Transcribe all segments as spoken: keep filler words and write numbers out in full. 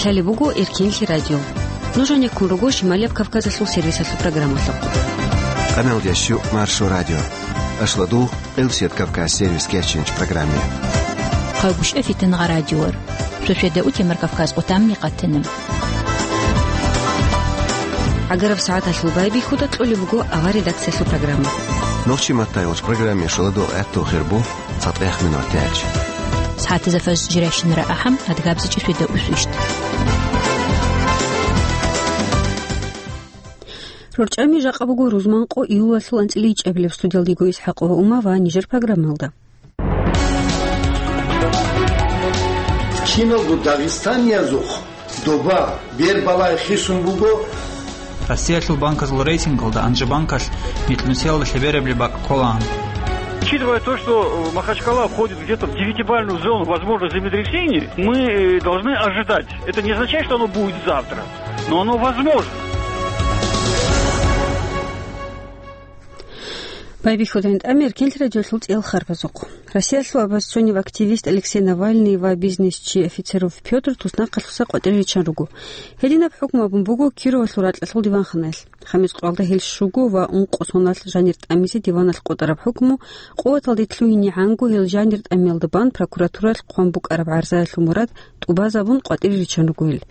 Лъалеб буго Эркенлъи радио. Нуж гьанеккун руго Шималияб Кавказалъул сервисалъул программалъухъ. Къаналдящу Маршо радио. Ашладу Элсет Кавказ сервис кечинч программе. Хъагуш эфитан радиор. Шошеда утемар Кавказ отамни къатанам. Агараб сагӀаталъул байбихьуда кьолеб буго авар редакциялъул программа. Нохчи маттайолч программе шуладу гӀатту хирбу. ЦатӀех минут яч. СагӀатазда фаз жирайщинара ахӀам, адгабзичӀи шуйда усвищт. РорчӀами жакъа буго рузманкъо июлалъул анцӀила ичӀабилеб. Студиялдиго ИсхӀакъова Ума ва нижер программалда. Киналго дагъистаниязухъ доба, бербалай хисун буго. Россиялъул банказул рейтингалда Анжи банкалъ микьнусиялда лъеберабли бакӀ кколаан. Учитывая то, что, э, Махачкала входит где-то в девятибалльную зону возможных землетрясений, мы, э, должны ожидать. Это не означает, что оно будет завтра, но оно возможно. Байбихьудайн тӀамер кенлъи радиолъул цӀел харбазухъ. Россиялъул оппозиционный активист Алексей Навальный ва бизнесчи Офицеров Пётр туснахъалъуса къватӀире риччан руго. Гьединаб хӀукму абун буго Кировалъул ракьалъул диванханаялъ. Хамис къоялда гьел щуго ва ункъо соналъ жанир тӀамизе диваналъ къотӀараб хӀукму къуваталде лъугьинегӀанго, гьел жанир тӀамиялда бан прокуратуралъ хъван букӀараб гӀарзаялъул мурад тӀубазабун къватӀире риччан руго гьел.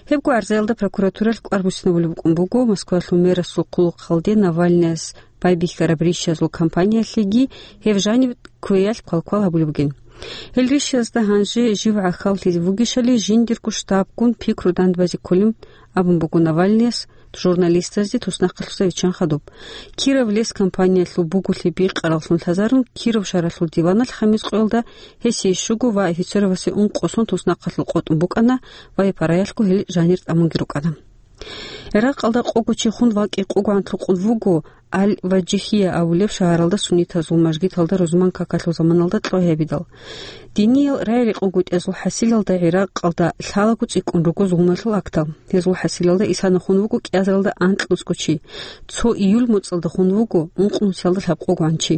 Гьебго гӀарзаялда прокуратуралъ кӀвар буссинабулеб букӀун буго Москвалъул мэрасул хъулухъалде Навальныяс байбихьараб рищазул кампаниялъеги гьеб жаниб кквеялъ квалквал гьабулеб бугин. Гьел рищазда гьанже жив гӀахьаллъизе вугищали жиндирго штабгун пикру дандбазе кколин абун буго Навальныяс журналистазде туснахъалъуса виччан хадуб. Киров лес кампаниялъул буголъи бикъараллъун лъазарун Киров шагьаралъул диваналъ хамис къоялда гьесие щуго ва Офицеровасе ункъо сон туснахъалъул къотӀун букӀана ва гьеб параялъго гьел жанир тӀамунги рукӀана. Иракъалда къого чи хун вакӀи къугӀан лъукъун вуго Аль-Ваджихия абулеб шагьаралда суннитазул мажгиталда рузман какалъул заманалда кьвагьабидал. Диниял рай-рекъон гутӀиязул хӀасилалда Иракъалда лъалаго цӀикӀкӀун руго зулмалъул актал. Гьезул хӀасилалда исана хун вуго кӀиазаралда анкьнусго чи, цо июль моцӀалда хун вуго ункънусиялда лъабкъогогӀан чи.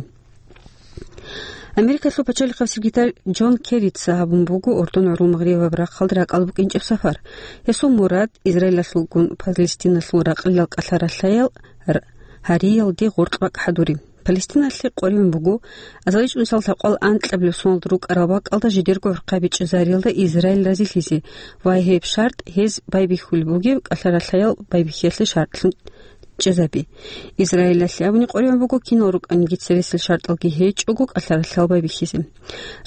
Америкалъул пачалихъав секретарь Джон Керрица гьабун буго Урдун гӀурул Магърибаб рахъалда ракӀалда букӀинчӀеб сапар. Гьесул мурад Израилалъулгун Палестиналъул ракьалил кӀалъа-ралъаял р-, гьариялде гъоркь бакӀ хӀадури. Палестиналъе къваригӀун буго азаличӀунсал лъабкъоялда анкьабилеб соналда рукӀарал бакӀалда жидерго гӀурхъаби чӀезариялда Израиль разилъизе ва гьеб шартӀ гьез байбихьулеб бугеб кӀалъа-ралъаял байбихьиялъе шартӀлъун чӀезаби. Израилалъе абуни къваригӀун буго, кинал рукӀаниги цересел шартӀалги гьечӀого кӀалъа-ралъаял байбихьизе.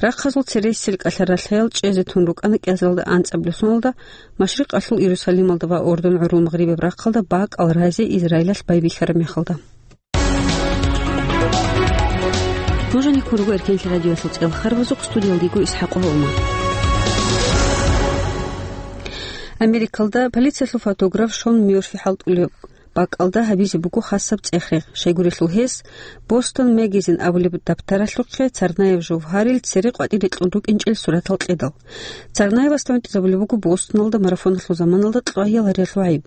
Рахъазул цересел кӀалъа-ралъаял чӀезе тун рукӀана кӀиазаралда анцӀабилеб соналда, Машрикъалъул Иерусалималда ва Урдун гӀурул Магърибаб рахъалда бакӀал разе Израилалъ байбихьараб мехалда. Нуж гьанеккун руго Эркенлъи радиоялъул цӀел харбазухъ, студиялдиго ИсхӀакъова Ума. Америкалда полициялъул фотограф Шон Мёрфи хӀалтӀулеб бакӀалда гьабизе буго хасаб цӀех-регъ, щайгурелъул гьес Бостон Мегазин абулеб дабтаралъухъе Царнаев Жовгьарил цере къватӀире кьун рукӀинчӀел суратал кьедал. Царнаевасда гӀунтӀизабулеб буго Бостоналда марафоналъул заманалда кьвагьиял гьариялъул гӀайиб.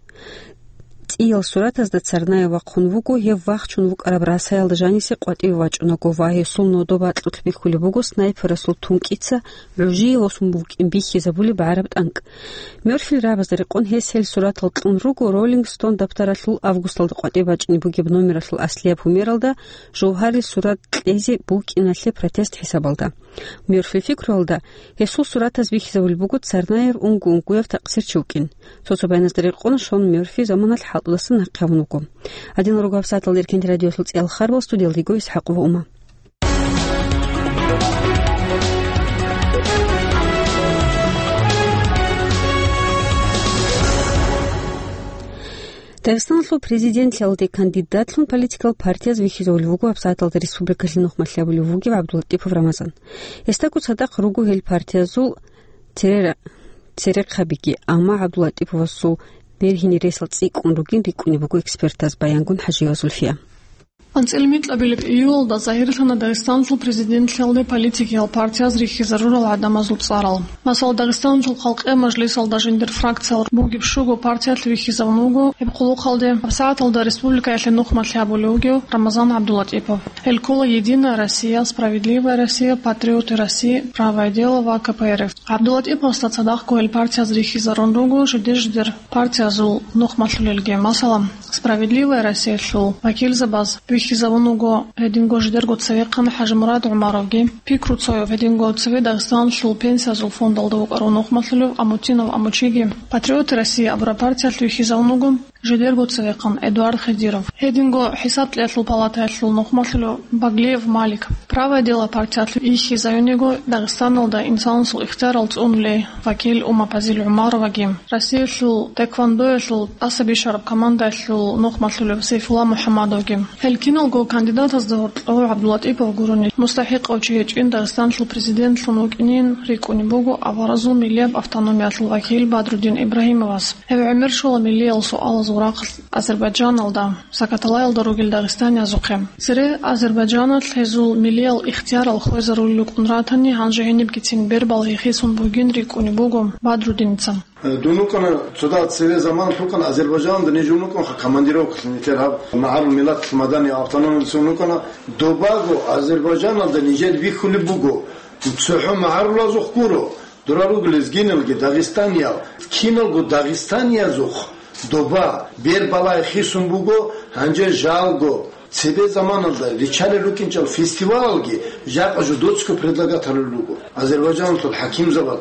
ЦӀиял суратазда Царнаев вахъун вуго гьев вахчун вукӀараб расаялда жанисе къватӀиве вачӀунаго ва гьесул нодо-батӀлъулъ бихьулеб буго снайперасул тункӀица гӀужие восун букӀин бихьизабулеб гӀараб тӀанкӀ. Мёрфил рагӀабазда рекъон гьес гьел суратал кьун руго Rolling Stone дабтаралъул августалда къватӀибе бачӀине бугеб номералъул аслияб гьумералда Жовгьарил сурат кьезе букӀиналъе протест хӀисабалда. Мёрфил пикруялда, гьесул суратаз бихьизабулеб буго Царнаев унго-унгояв такъсирчи вукӀин. Цо-цо баяназда рекъон Шон Мёрфи заманалъ хӀалтӀудасан нахъе гьавун вуго. Гьадинал руго гьабсагӀаталда Эркенлъи радиоялъул цӀиял харбал, студиялдиго ИсхӀакъова Ума. Дагъистаналъул президентлъиялде кандидатлъун политикал партияз вихьизавулев вуго гьабсагӀаталда республикалъе нухмалъи абулев вугев ГӀабдуллатӀипов Рамазан. Гьесдаго цадахъ руго гьел партиязул цере-, церехъабиги, амма ГӀабдуллатӀиповасул бергьине ресал цӀикӀкӀун ругин рикӀкӀунеб буго экспертаз, баянгун ХӀажиева Зульфия. АнцӀила микьабилеб июлалда загьирлъана Дагъистаналъул президентлъиялде политикиял партияз рихьизарурал гӀадамазул цӀарал. Масала, Дагъистаналъул халкъиял мажлисалда жиндир фракциял бугеб щуго партиялъ вихьизавун вуго гьеб хъулухъалде. ГьабсагӀаталда республикаялъе нухмалъи гьабулев вугев Рамазан ГӀабдулатӀипов. Гьел ккола «Единая Россия», «Справедливая Россия», «Патриоты России», «Правое дело» ва К П Р Ф. ГӀабдулатӀиповасда цадахъго гьел партияз рихьизарун руго жидер-жидер партиязул нухмалъулелги. Масала, «Справедливая Россиялъул» вакилзабаз вихьизавун вуго гьединго жидерго цевехъан ХӀажимурад ГӀумаровги, Пикру Цоев, гьединго цеве Дагъистаналъул пенсиязул фондалда вукӀарав нухмалъулев Амутинов Амучиги, «Патриоты России» абураб партиялъ вихьизавун вуго жидерго цевехъан Эдуард Хидиров, гьединго ХӀисаб кьеялъул палатаялъул нухмалъулев Баглиев Малик. «Правое дело» партиялъ вихьизавун йиго Дагъистаналда инсанасул ихтиярал цӀунулей вакил Умапазил ГӀумароваги, Россиялъул тхэквондоялъул тӀаса бищараб командаялъул нухмалъулев Сайфулла МухӀаммадовги. Гьел киналго кандидатазда гьоркьов ГӀабдулатӀипов гурони мустахӀикъав чи гьечӀин Дагъистаналъул президентлъун вукӀинин рикӀкӀунеб буго аваразул миллияб автономиялъул вакил Бадрудин Ибрагьимовас. Гьев гӀемер щола миллиял суалазул рахъалъ Азербайджаналда, Сакаталаялда ругел дагъистаниязухъе. Цере Азербайджаналъ гьезул миллиял ихтиярал хвезарулел рукӀун ратани, гьанже гьенибгицин бербал гьехисун бугин рикӀкӀунеб буго Бадрудиница. Дун вукӀана, цода цеве заманалъ вукӀана Азербайджаналда, ниж вукӀанха командировкалъе нилъер гьаб магӀарул миллаталъ маданияб автономиялъун вукӀана. Добаго Азербайджаналда нижер бихьулеб буго, цохӀо магӀарулазухъ гуро, дора руго лезгиналги дагъистаниял, киналго дагъистаниязухъ доба, бербалай хисун буго, гьанже жалго, цебе заманалда ричалел рукӀинчӀал фестивалалги жакъа жо доцго предлагатарулел руго. Азербайджаналъул хӀакимзабаз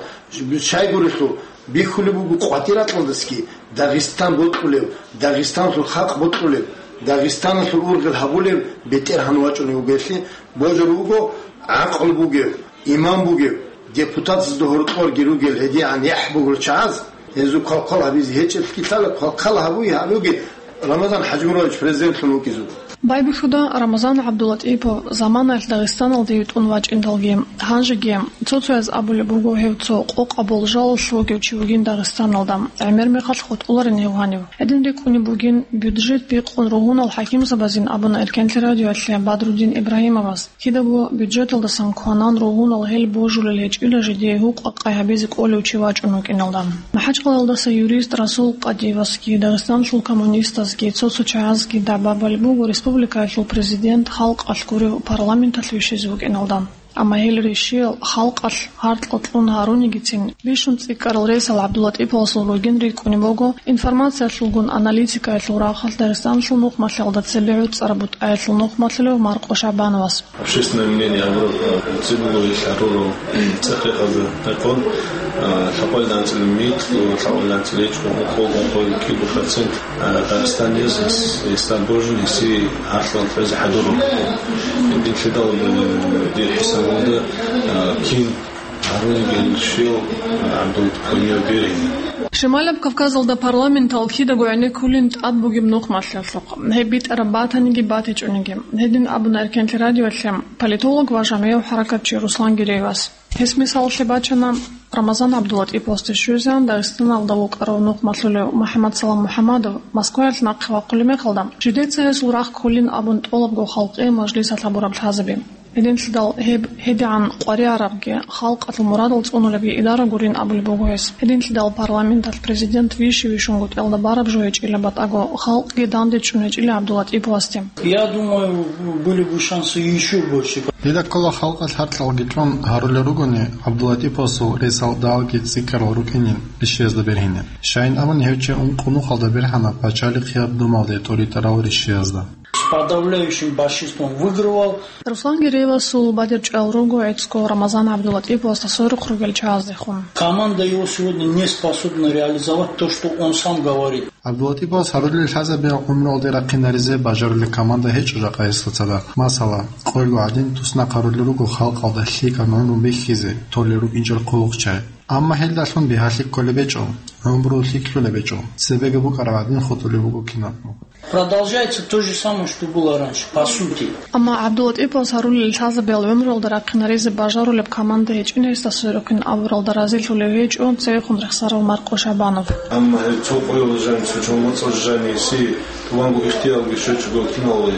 щайгурелъул бихьулеб буго къватӀиракьалдасги Дагъистан бокьулев, Дагъистаналъул халкъ бокьулев, Дагъистаналъул ургъел гьабулев бетӀергьан вачӀунев вугелъи, божар вуго гӀакъл бугев, иман бугев, депутатазда гьоркьорги ругел гьедигӀан яхӀ бугел чагӀаз, гьезул квалквал гьабизе гьечӀелъги лъала, квалквал гьабуй гьабуге Рамазан ХӀажимурадович президентлъун вукӀизе вуго. Байбихьуда, Рамазан ГӀабдулатӀипов заманаялъ Дагъистаналде витӀун вачӀиндалги, гьанжеги цо-цояз абулеб буго гьев цо къокъаб болжалалъ вугев чи вугин Дагъистаналда, гӀемер мехалъ хутӀуларин гьев гьанив. Гьедин рикӀкӀунеб бугин, бюджет бикъун ругьунал хӀакимзабазин абуна Эркенлъи радиоялъе Бадрудин Ибрагьимовас. Кидаго бюджеталдасан кванан ругьунал гьел божулел гьечӀила жидее гьукъа-къай гьабизе кӀолев чи вачӀун вукӀиналда. МахӀачкъалаялдаса юрист Расул Къадиевасги, Дагъистаналъул коммунистазги, цо-цо чагӀазги дагӀба балеб буго республикаялъул президент халкъалъ гурев парламенталъ вищизе вукӀиналда. Амма гьел рещиял халкъалъ гьаркьа кьун гьарунигицин, бищун цӀикӀкӀарал рейсал ГӀабдулатӀиповасул ругин рикӀкӀунеб буго, информациялъулгун аналитикаялъул рахъалъ Дагъистаналъул нухмалъиялда цебе гӀуцӀараб бутӀаялъул нухмалъулев Маркъо ШагӀбановас. Общественное мнение, наоборот, цебе гьарурал цӀехехъазда рекъон, а, лъабкъоялда анцӀила микьго, лъабкъоялда анцӀила гьечӀо, къо-, къо-, кибу процент, а, Дагъистаниз, ис-, ис-, божун, иси гьарфлъан хвезе хӀадурун. Гьединлъидал, э, дир хӀисабалда, а, кин гьарун гел щил, а, ГӀабдул Камил Берин. Шималаб Кавказалда парламентал кидаго гӀенеккулин тӀад бугеб нухмалъиялъухъ. Гьеб битӀараб батаниги батичӀониги. Гьедин абуна Эркенлъи радиоялъе политолог ва жамигӀав хӀаракатчи Руслан Гиреевас. Гьес мисалалъе бачана Рамазан ГӀабдулатӀиповасде щвезегӀан Дагъистаналда вукӀарав нухмалъулев МухӀаммадсалам МухӀаммадов Москваялъ нахъе вахъулеб мехалда, жидеца гьесул рахъ кколин абун тӀолабго халкъи мажлисалъ гьабураб лъазаби. Гьединлъидал гьеб гьедигӀан къваригӀарабги халкъалъул мурадал цӀунулебги идара гурин абулеб буго гьес. Гьединлъидал парламенталъ президент вищи-вищунго тӀелда бараб жо гьечӀила батӀаго халкъги дандечӀун гьечӀила ГӀабдулатӀиповасде. Я думаю, были бы шансы ещё больше. Дида ккола халкъалъ гьаркьалги кьун гьарулел ругони, ГӀабдулатӀиповасул рейсал далги цӀикӀкӀарал рукӀинин рищиязда бергьине. Щайин абун гьев чи ункъо нухалда бергьана пачалихъияб думалде тӀоритӀарал рищиязда. С подавляющим большинством выигрывал. Руслан Гиреевасул бадибчӀвал руго гӀицӀго Рамазан ГӀабдулатӀиповасда сверухъ ругел чагӀаздехун. Команда его сегодня не способна реализовать то, что он сам говорит. ГӀабдулатӀиповас гьарулел лъазабиялъ гӀумруялде рахъинаризе бажарулеб команда гьечӀо жакъа гьесда цадахъ. Масала, къойго гӀадин туснахъ гьарулел руго халкъалда лъикӀаб гӀумру бихьизе толел рукӀинчӀел хъулухъчагӀи. Амма гьелдалъун бигьалъи кколеб гьечӀо, гӀумру лъикӀлъулеб гьечӀо, цебеги букӀараб гӀадин хутӀулеб буго кинабго. Продолжается то же самое, что было раньше, по сути. Амма ГӀабдулатӀиповас гьарулел лъазабиялъ гӀумруялда рахъинаризе бажарулеб команда гьечӀин гьесда сверухъин абуралда разилъулев гьечӀо цевехун рехсарав Маркъо ШагӀбанов. Амма гьеб цо къоялъ жаниб Чун моцӀалъ жаниси тӀубанго ихтиярги щвечӀого киналго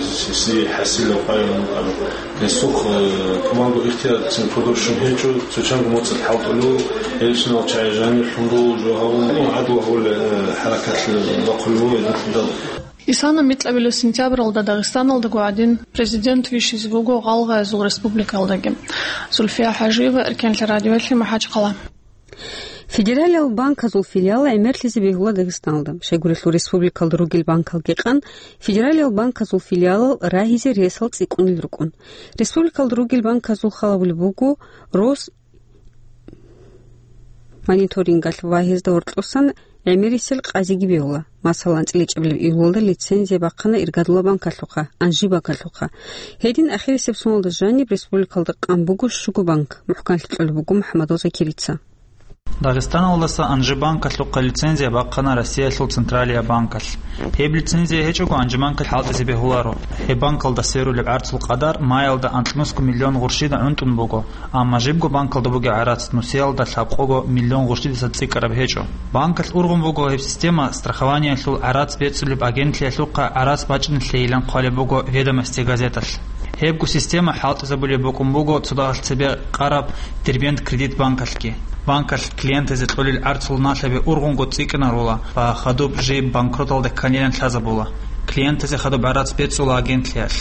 си хӀасилав къайгъун абу. Гьесухъ, э, тӀубанго ихтияр цин продовжщун гьечӀо, цо чанго моцӀалъ хӀалтӀулев, гьелщинал чагӀи жанир хӀумрул жо гьавун, гӀадлу гьавулел, э, хӀаракатлъи бахъулев гьединлъидал. Исана микьабилеб сентябралда Дагъистаналдаго гӀадин президент вищизе буго гъалгъаязул республикаялдаги. Зульфия ХӀажиева, Эркенлъи радиоялъе, МахӀачхъала. Федералиял банказул филиал гӀемерлъизе бегьула Дагъистаналда. Щайгурелъул республикалда ругел банкалги къан, федералиял банказул филиалал рагьизе ресал цӀикӀкӀунел рукӀун. Республикалда ругел банказул халабулеб буго Рос мониторингалъ ва гьезда гьоркьосан гӀемерисел къазиги бегьула. Масала, анцӀила чӀебилеб июлалда лицензия бахъана Иргадула банкалъухъа, Анжи банкалъухъа. Гьедин ахирисеб соналда жаниб республикалда къан буго щуго банк, мухӀканлъи кьолеб буго МухӀамадов Закирица. Дагъистаналдаса Анжи банкалъухъа лицензия бахъана Россиялъул Централия банкалъ. Гьеб лицензия гьечӀого Анжи банкалъ хӀалтӀизе бегьуларо. Гьеб банкалда сверулеб гӀарцул къадар маялда анкьнусго миллион гъурщида гӀунтӀун буго, амма жибго банкалда бугеб гӀарац нусиялда лъабкъого миллион гъурщидаса цӀикӀкӀараб гьечӀо. Банкалъ ургъун буго гьеб система страхованиялъул гӀарац бецӀулеб агентлъиялъухъа гӀарац бачӀинеблъийилан хъвалеб буго «Ведомости» газеталъ. Гьебго система хӀалтӀизабулеб букӀун буго цо дагьалъ цебе къараб Дербент Кредит банкалъги. Банкалъ клиентазе кьолел гӀарцул налъаби ургъунго цӀикӀкӀинарула ва хадуб жиб банкроталде кканилан лъазабула. Клиентазе хадуб гӀарац бецӀула агентлъиялъ.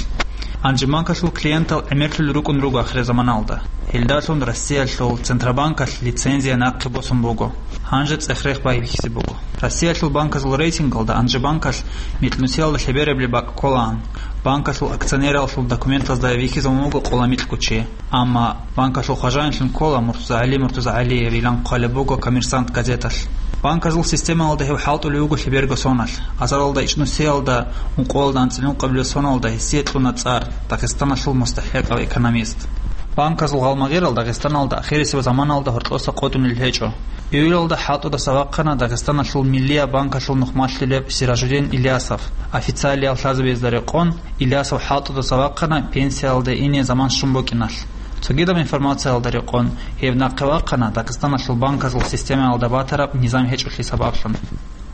Анжи банкалъул клиентал гӀемерлъулел рукӀун руго ахирзаманалда. Гьелдалъун Россиялъул Центробанкалъ лицензия нахъе босун буго. Гьанже цӀех-рех байбихьизе буго. Россиялъул банказул рейтингалда Анжи банкалъ микьнусиялда лъеберабли бакӀ кколаан. Банкалъул акционералъул документазда вихьизабун буго къола микьго чи. Амма банкалъул хважаянлъун ккола МуртузагӀали МуртузагӀалиевилан хъвалеб буго «Коммерсант» газеталъ. Банказул системалда гьев хӀалтӀулев вуго лъеберго соналъ. Азаралда ичӀнусиялда ункъоялда анцӀила ункъабилеб соналда гьесие кьуна цӀар «Дагъистаналъул мустахӀикъав экономист». Банказул гъалмагъирал Дагъистаналда ахирисеб заманалда гьоркьоса къотӀунел гьечӀо. Июлалда хӀалтӀудаса вахъана Дагъистаналъул Миллия банкалъул нухмалъулеб Сиражудин Илясов. Официалиял лъазабиязда рекъон, Илясов хӀалтӀудаса вахъана пенсиялде ине заман щун букӀиналъ. Цогидаб информациялда рекъон, гьев нахъе вахъана Дагъистаналъул банказул системаялда батараб низам гьечӀолъи сабаблъун.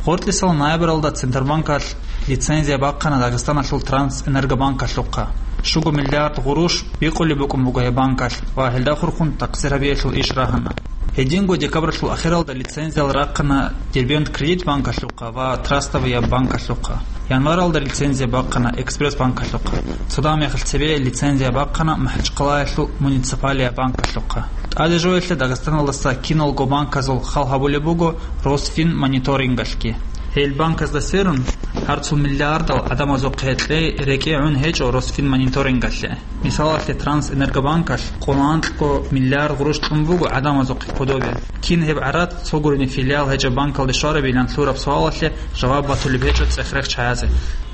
Гъоркьисал ноябралда Центробанкалъ лицензия бахъана Дагъистаналъул Трансэнергобанкалъухъа. Щуго миллиард гъурущ бикъулеб букӀун буго гьеб банкалъ ва гьелда хурхун такъсир гьабиялъул иш рагьана. Гьединго декабралъул ахиралда лицензиял рахъана Дербент Кредит банкалъухъа ва Трастовая банкалъухъа. Январалда лицензия бахъана Экспресс банкалъухъа. Цо дагьа мехалъ цебе лицензия бахъана МахӀачхъалаялъул Муниципалия банкалъухъа. ТӀаде жоялъе Дагъистаналдаса киналго банказул хал гьабулеб буго Росфинмониторингалъги. Гьел банказда сверун, гьарцул миллиардал гӀадамазухъе кьей рекӀее гӀун гьечӀо Росфинмониторингалъе. Мисалалъе, Трансэнергобанкалъ къоло анкьго миллиард гъурущ кьун буго гӀадамазухъе кодобе. Кин гьеб гӀарац цо гурони филиал гьечӀеб банкалде щварабилан лъураб суалалъе жаваб батулеб гьечӀо цӀех-рех чагӀазе.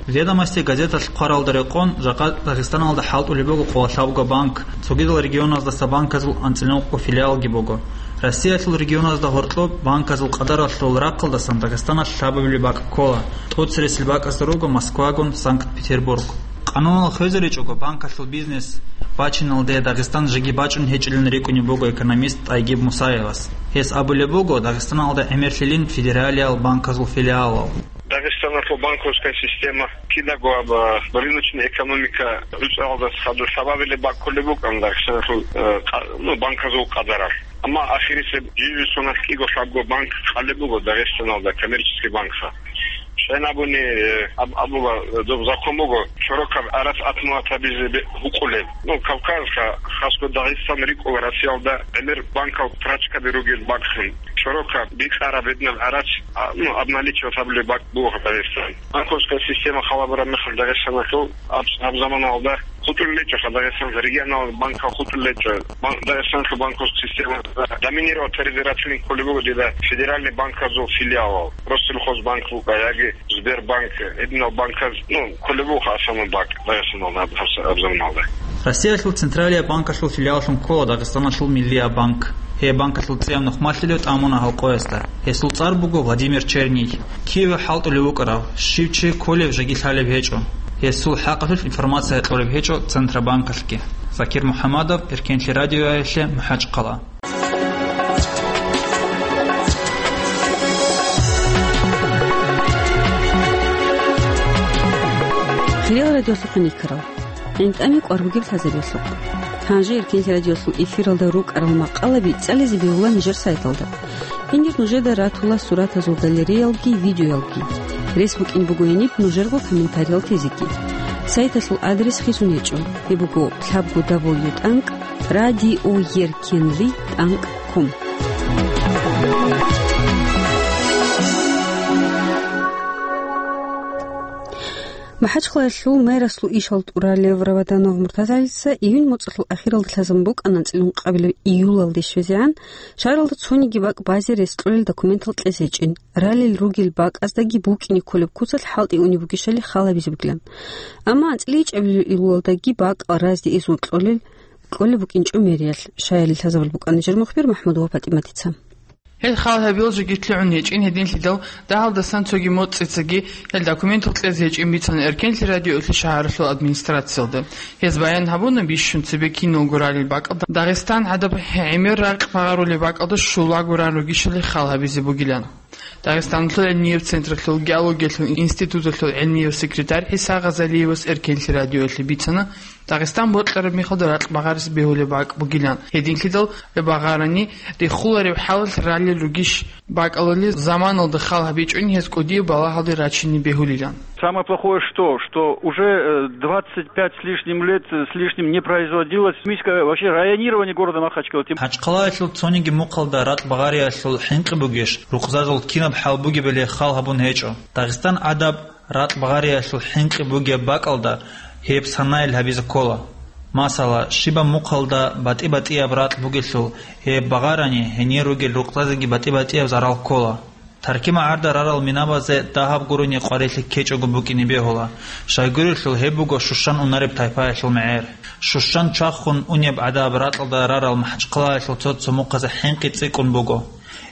«Ведомости» газеталъ хъваралда рекъон, жакъа Дагъистаналда хӀалтӀулеб буго къоло лъабго банк, цогидал регионаздаса банказул анцӀила ункъго филиалги буго. Россиялъул регионазда гьоркьоб банказул къадаралъул рахъалдасан Дагъистаналъ лъабабилеб бакӀ ккола, тӀоцересел бакӀазда руго Москвагун Санкт-Петербург. Къануналъ хвезаричӀого банкалъул бизнес бачиналде Дагъистан жеги бачӀун гьечӀилан рикӀкӀунеб буго экономист ТӀайгиб Мусаевас. Гьес абулеб буго, Дагъистаналда гӀемерлъилин федералиял банказул филиалал. Дагъистаналъул банковская система кинабго аб, а, рыночный экономика гӀуцӀалдас хадур лъабабилеб бакӀ кколеб букӀан Дагъистаналъул, э, къа-, ну, банказул къадаралъ. Амма ахирисеб жиндир соналъ кӀиго-лъабго банк къалеб буго Дагъистаналда, коммерческий банкха. Щайин абуни, э, аб-, абула, э, доб закон буго, чорокаб гӀарац атмугьат гьабизе бе-, букӀулеб. Ну, Кавказха, хасго Дагъистан рикӀкӀула Россиялда гӀемер банкал прачкаби ругел бакӀлъун. Чорокаб бикьараб гьединаб гӀарац, а, ну, обналичивать гьабулеб бакӀ буго Дагъистан. Банковская система халабураб мехалъ Дагъистаналъул аб-, аб заманалда хутӀулел гьечӀо, Дагъистаналъ регионал банкал хутӀулел гьечӀо. Бан-, Дагъистаналъул банковская система доминировать таризирацин кколеб буго дида федеральный банказул филиалал, Россельхозбанк букӀа яги Сбербанк, гьединал банказ, ну, кколеб буго основной бакӀ Дагъистаналда аб-, аб-, аб заманалда. Россиялъул Централия банкалъул филиаллъун ккола Дагъистаналъул Миллия банк. Гьеб банкалъул цӀияб нухмалъулев тӀамуна гьал къоясда. Гьесул цӀар буго Владимир Черний. Киве хӀалтӀулев вукӀарав, щив чи кколев жеги лъалеб гьечӀо. Гьесул хӀакъалъулъ информация кьолеб гьечӀо Центробанкалъги. Закир МухӀамадов, Эркенлъи радиоялъе, МахӀачхъала. Ил радиолъухъ никарал. ГӀинтӀаме кӀвар бугеб лъазаревлъухъ. Гьанже Эркенлъи радиолъул эфиралда рукӀарал макъалаби цӀализе бегьула нижер сайталда. Гьенир нужеда ратула суратазул галереялги, видеоялги. Рес букӀин буго гьениб нужерго комментариял тезеги. Сайталъул адрес хисун гьечӀо. Гьеб буго лъабго дабл ю тӀанкӀ радиоеркенли тӀанкӀ ком. МахӀачхъалаялъул мэрасул ишал тӀуралев Раваданов Муртазалица июнь моцӀалъул ахиралда лъазабун букӀана анцӀила ункъабилеб июлалде щвезегӀан шагьаралда цониги бакӀ базе рес кьолел документал кьезе гьечӀин, ралел ругел бакӀаздаги букӀине кколеб куцалъ хӀалтӀи унеб бугищали хал гьабизе бугилан. Амма анцӀила ичӀабилеб июлалдаги бакӀал разде изун кьолел, кьолеб букӀинчӀо мэриялъ. Шагьаралде лъазабулеб букӀана нижер мухбир МахӀмудова ПатӀиматица. Гьел хал гьабиялъ жеги лъугӀун гьечӀин, гьединлъидал дагьалдасан цоги моцӀицаги гьел документал кьезе гьечӀин бицана Эркенлъи радиоялъул шагьаралъул администрациялда. Гьез баян гьабуна, бищун цебе киналго ралел бакӀалда Дагъистан гӀадаб гӀемер ракь багъарулеб бакӀалда щулаго ран ругищали хал гьабизе бугилан. Дагъистаналъул гӀилмияб централъул геологиялъул институталъул гӀилмияв секретарь ГӀиса Гъазалиевас Эркенлъи радиоялъе бицана, Дагъистан бокьараб мехалда ракь багъарес бегьулеб бакӀ бугилан. Гьединлъидал багъарани риххулареб хӀалалъ ралел ругищ бакӀалали заманалда хал гьабичӀони гьез кӀудияб балагьалде рачине бегьулилан. Самое плохое что, что уже, э, двадцать пять с лишним лет, э, с лишним не производилось химическое вообще районирование города Махачкала. Тем- МахӀачхъалаялъул цониги мухъалда ракь багъариялъул хӀинкъи бугищ, рукъзазул кинаб хӀал бугебали хал гьабун гьечӀо. Дагъистан гӀадаб ракь багъариялъул хӀинкъи бугеб бакӀалда гьеб санайл гьабизе ккола. Масала, щибаб мухъалда батӀи-батӀияб ракь бугелъул, гьеб багъарани гьенир ругел рукъзазеги батӀи-батӀияб зарал ккола. Таркимагьарда рарал минабазе дагьаб гурони къварилъи ккечӀого букӀине бегьула, щайгурелъул гьеб буго щущан унареб тайпаялъул мегӀер. Щущан чвахун унеб гӀадаб ракьалда рарал МахӀачхъалаялъул цо-цо мухъазе хӀинкъи цӀикӀкӀун буго.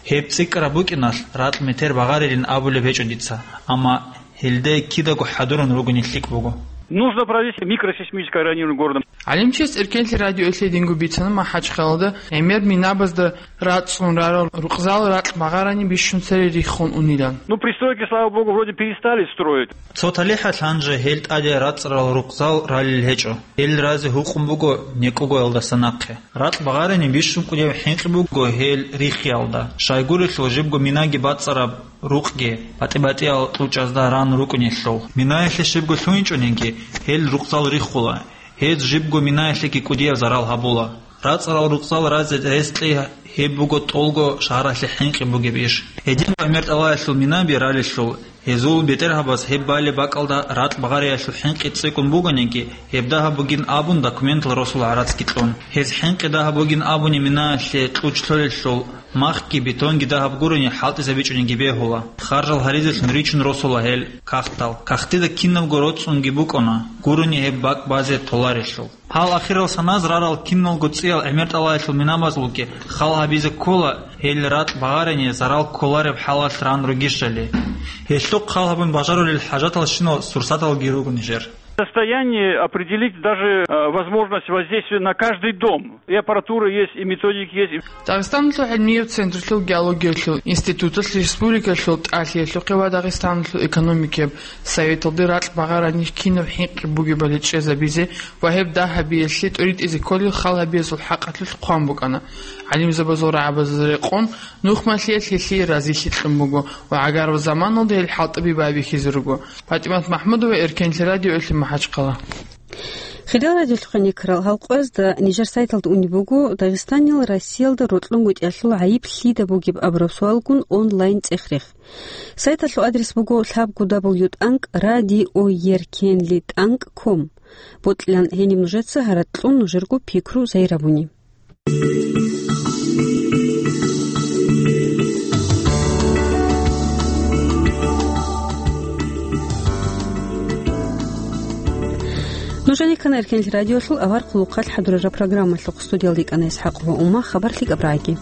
Гьеб цӀикӀкӀараб букӀиналъ, ракь метер багъарилин абулеб гьечӀо дица, амма гьелде кидаго хӀадурун ругони лъикӀ буго. Нужно провести микросейсмическое районирование города. ГӀалимчияс Эркенлъи радиоялъе гьединго бицана МахӀачхъалада гӀемер минабазда рацӀцӀун рарал рукъзал ракь багъарани бищун цере риххун унилан. Ну, пристройки, слава богу, вроде перестали строить. Цо талихӀалъ гьанже гьел тӀаде рацӀцӀарал рукъзал ралел гьечӀо. Гьел разе гьукъун буго некӀогоялдаса нахъе. Ракь багъарани бищун кӀудияв хӀинкъи буго гьел риххиялда. Щайгурелъул жибго минаги бацӀцӀараб рукъги, батӀи-батӀиял кьучӀазда ран рукӀунелъул. Минаялъе щибго лъугьинчӀониги, гьел рукъзал риххула. Гьез жибго минаялъеги кӀудияв зарал гьабула. РацӀцӀарал рукъзал разе рес кьей гьеб буго тӀолго шагьаралъе хӀинкъи бугеб иш. Гьедин гӀемер тӀалаялъул минаби ралелъул, гьезул бетӀергьабаз гьеб балеб бакӀалда ракь багъариялъул хӀинкъи цӀикӀкӀун бугониги, гьеб дагьаб бугин абун документал росула гӀарацги кьун. Гьез хӀинкъи дагьаб бугин абуни минаялъе кьучӀ лъолелъул, махги бетонги дагьаб гурони хӀалтӀизабичӀониги бегьула. Харжал гьаризелъун ричун росула гьел кагътал. Кагътида кинабго роцӀцӀунги букӀуна, гурони гьеб бакӀ базе толарелъул. Гьал ахирал саназ рарал киналго цӀиял гӀемер тӀалаялъул минабазулги хал гьабизе ккола, гьел ракь багъарани зарал кколареб хӀалалъ ран ругищали. Гьелъухъ хал гьабун бажарулел хӀажаталщинал сурсаталги руго нижер. Состояние определить даже, э, возможность воздействия на каждый дом. И аппаратура есть, и методики есть. Дагъистаналъул гӀилмияб централъул геологиялъул институталъ республикалъул тӀалъиялъухъе ва Дагъистаналъул экономикияб советалде ракь багъарани кинаб хӀинкъи бугебали чӀезабизе ва гьеб дагь гьабиялъе тӀуритӀизе кколел хал гьабиязул хӀакъалъулъ хъван букӀана. ГӀалимзабазул рагӀабазда рекъон, нухмалъиялъ гьелъие разилъи кьун буго ва гӀагарал заманалда гьел хӀалтӀаби байбихьизе руго. ПатӀимат МахӀмудова, Эркенлъи радиоялъе МахӀачхъала. Хириял радиолъухъ гьанир ккарал гьал къоязда нижер сайталда унеб буго Дагъистанил Россиялда рокьунгутӀиялъул гӀайиб лъида бугеб абураб суалгун онлайн цӀех-рех. Сайталъул адрес буго лъабго дабл ю тӀанкӀ радиоеркенли тӀанкӀ ком. Бокьилан гьениб нужеца гьаракь кьун нужерго пикру зайрабуни. Нужеде ккана Эркенлъи радиолъул авар хъулухъалъ хӀадурараб программалъухъ. Студиялда йикӀана ИсхӀакъова Ума. Хабар лъикӀаб рагӀаги.